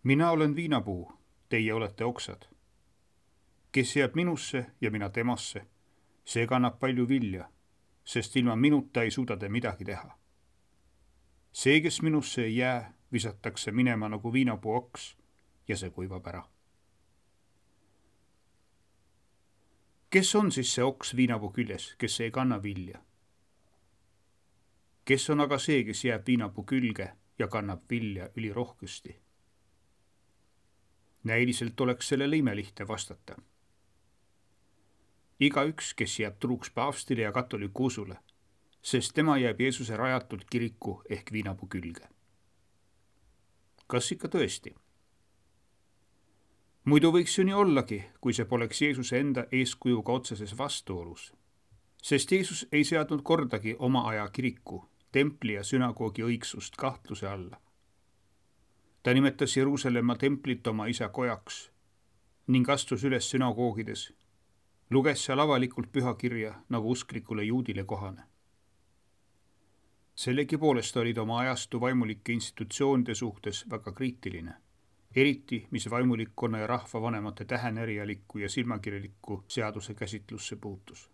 Mina olen viinapuu, teie olete oksad. Kes jääb minusse ja mina temasse, see kannab palju vilja, sest ilma minuta ei suuda te midagi teha. See, kes minusse ei jää, visatakse minema nagu viinapuu oks ja see kuivab ära. Kes on siis see oks viinapuu küljes, kes ei kanna vilja? Kes on aga see, kes jääb viinapuu külge ja kannab vilja ülirohkesti? Näiliselt oleks sellele imelihtne vastata. Igaüks, kes jääb truuks paavstile ja katoliku usule, sest tema jääb Jeesuse rajatud kiriku ehk viinapuu külge. Kas ikka tõesti? Muidu võiks ju nii ollagi, kui see poleks Jeesuse enda eeskujuga otseses vastuolus. Sest Jeesus ei seadnud kordagi oma aja kiriku, templi ja sünagoogi õigsust kahtluse alla. Ta nimetas Jeruusalemma templit oma isa kojaks ning astus üles sünagoogides, luges seal avalikult pühakirja nagu usklikule juudile kohane. Sellegipoolest olid oma ajastu vaimulike institutsioonide suhtes väga kriitiline, eriti mis vaimulikkonna ja rahvavanemate tähenärialikku ja silmakirjalikku seaduse käsitlusse puutus.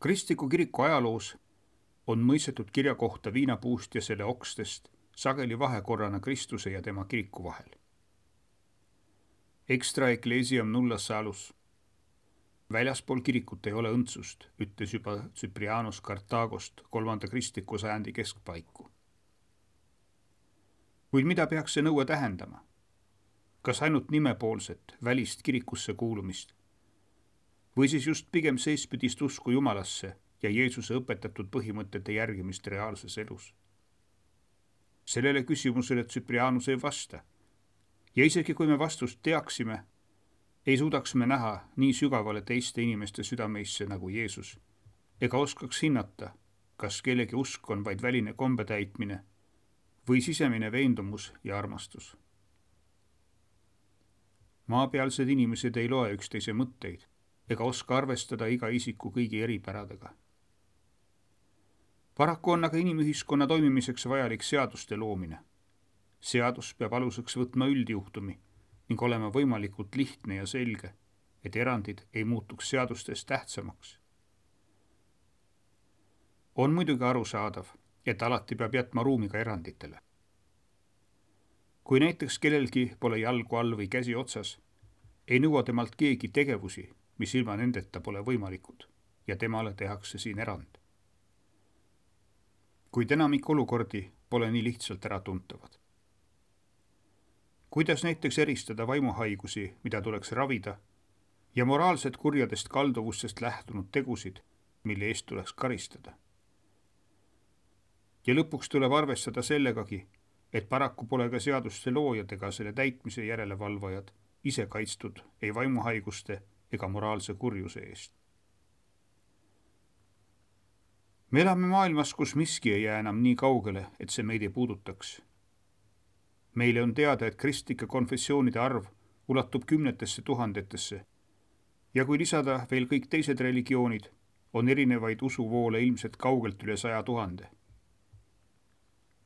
Kristliku kiriku ajaloos on mõistetud kirja kohta viinapuust ja selle okstest sageli vahekorrana Kristuse ja tema kiriku vahel. Extra ecclesiam nulla salus. Väljaspool kirikut ei ole õndsust, ütles juba Cyprianus Kartaagost 3. kristliku sajandi keskpaiku. Kuid mida peaks see nõue tähendama? Kas ainult nimepoolset, välist kirikusse kuulumist? Või siis just pigem seespidist usku Jumalasse ja Jeesuse õpetatud põhimõtete järgimist reaalses elus? Sellele küsimusele Cyprianus ei vasta. Ja isegi kui me vastust teaksime, ei suudaks me näha nii sügavale teiste inimeste südameisse nagu Jeesus, ega oskaks hinnata, kas kellegi usk on vaid väline kombetäitmine või sisemine veendumus ja armastus. Maapealsed inimesed ei loe üksteise mõtteid ega oska arvestada iga isiku kõigi eripäradega. Paraku on aga inimühiskonna toimimiseks vajalik seaduste loomine. Seadus peab aluseks võtma üldjuhtumi ning olema võimalikult lihtne ja selge, et erandid ei muutuks seadustes tähtsamaks. On muidugi arusaadav, et alati peab jätma ruumi ka eranditele. Kui näiteks kellelgi pole jalgu all või käsi otsas, ei nõua temalt keegi tegevusi, mis ilma nendeta pole võimalikud ja temale tehakse siin erand. Kuid enamik olukordi pole nii lihtsalt äratuntavad. Kuidas näiteks eristada vaimuhaigusi, mida tuleks ravida, ja moraalset kurjadest kalduvustest lähtunud tegusid, mille eest tuleks karistada? Ja lõpuks tuleb arvestada sellegagi, et paraku pole ka seaduste loojad ega selle täitmise järelevalvajad ise kaitstud ei vaimuhaiguste ega moraalse kurjuse eest. Me elame maailmas, kus miski ei jää enam nii kaugele, et see meid ei puudutaks. Meile on teada, et kristlike konfessioonide arv ulatub 10 000 ja kui lisada veel kõik teised religioonid, on erinevaid usuvoole ilmselt kaugelt üle 100 000.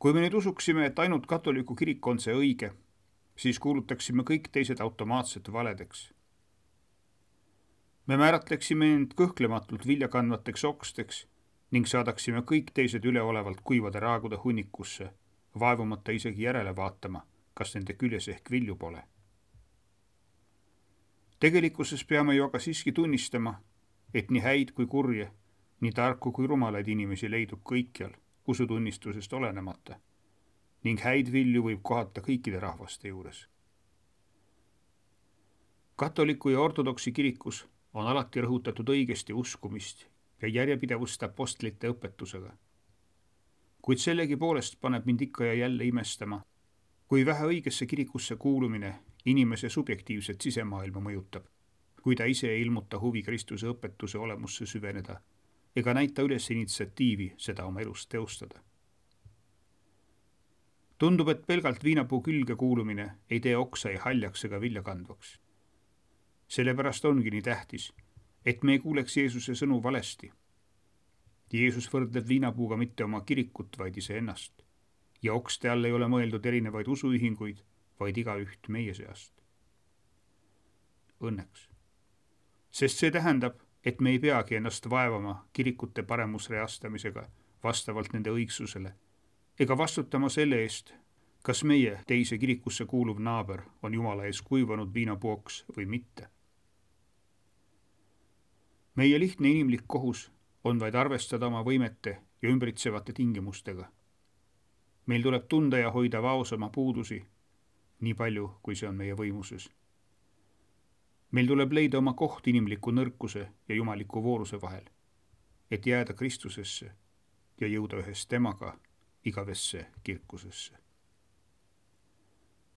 Kui me nüüd usuksime, et ainult katoliku kirik on see õige, siis kuulutaksime kõik teised automaatselt valedeks. Me määratleksime end kõhklematult viljakandvateks oksteks ning saadaksime kõik teised üleolevalt kuivade raagude hunnikusse, vaevumata isegi järele vaatama, kas nende küljes ehk vilju pole. Tegelikkuses peame ju aga siiski tunnistama, et nii häid kui kurje, nii tarku kui rumalaid inimesi leidub kõikjal, usutunnistusest olenemata, ning häid vilju võib kohata kõikide rahvaste juures. Katoliku ja ortodoksi kirikus on alati rõhutatud õigesti uskumist ja järjepidevust apostlite õpetusega. Kuid sellegipoolest paneb mind ikka ja jälle imestama, kui vähe õigesse kirikusse kuulumine inimese subjektiivset sisemaailma mõjutab, kui ta ise ei ilmuta huvi Kristuse õpetuse olemusse süveneda ega näita üles initsiatiivi seda oma elus teostada. Tundub, et pelgalt viinapuu külge kuulumine ei tee oksa ei haljaks ega viljakandvaks. Sellepärast ongi nii tähtis, et me ei kuuleks Jeesuse sõnu valesti. Jeesus võrdleb viinapuuga mitte oma kirikut, vaid iseennast. ja okste all ei ole mõeldud erinevaid usuühinguid, vaid igaüht meie seast. Õnneks. Sest see tähendab, et me ei peagi ennast vaevama kirikute paremusreastamisega vastavalt nende õigsusele ega vastutama selle eest, kas meie teise kirikusse kuuluv naaber on Jumala ees kuivanud viinapuoks või mitte. Meie lihtne inimlik kohus on vaid arvestada oma võimete ja ümbritsevate tingimustega. Meil tuleb tunda ja hoida vaos oma puudusi, nii palju, kui see on meie võimuses. Meil tuleb leida oma koht inimliku nõrkuse ja jumaliku vooruse vahel, et jääda Kristusesse ja jõuda ühes temaga igavesse kirkusesse.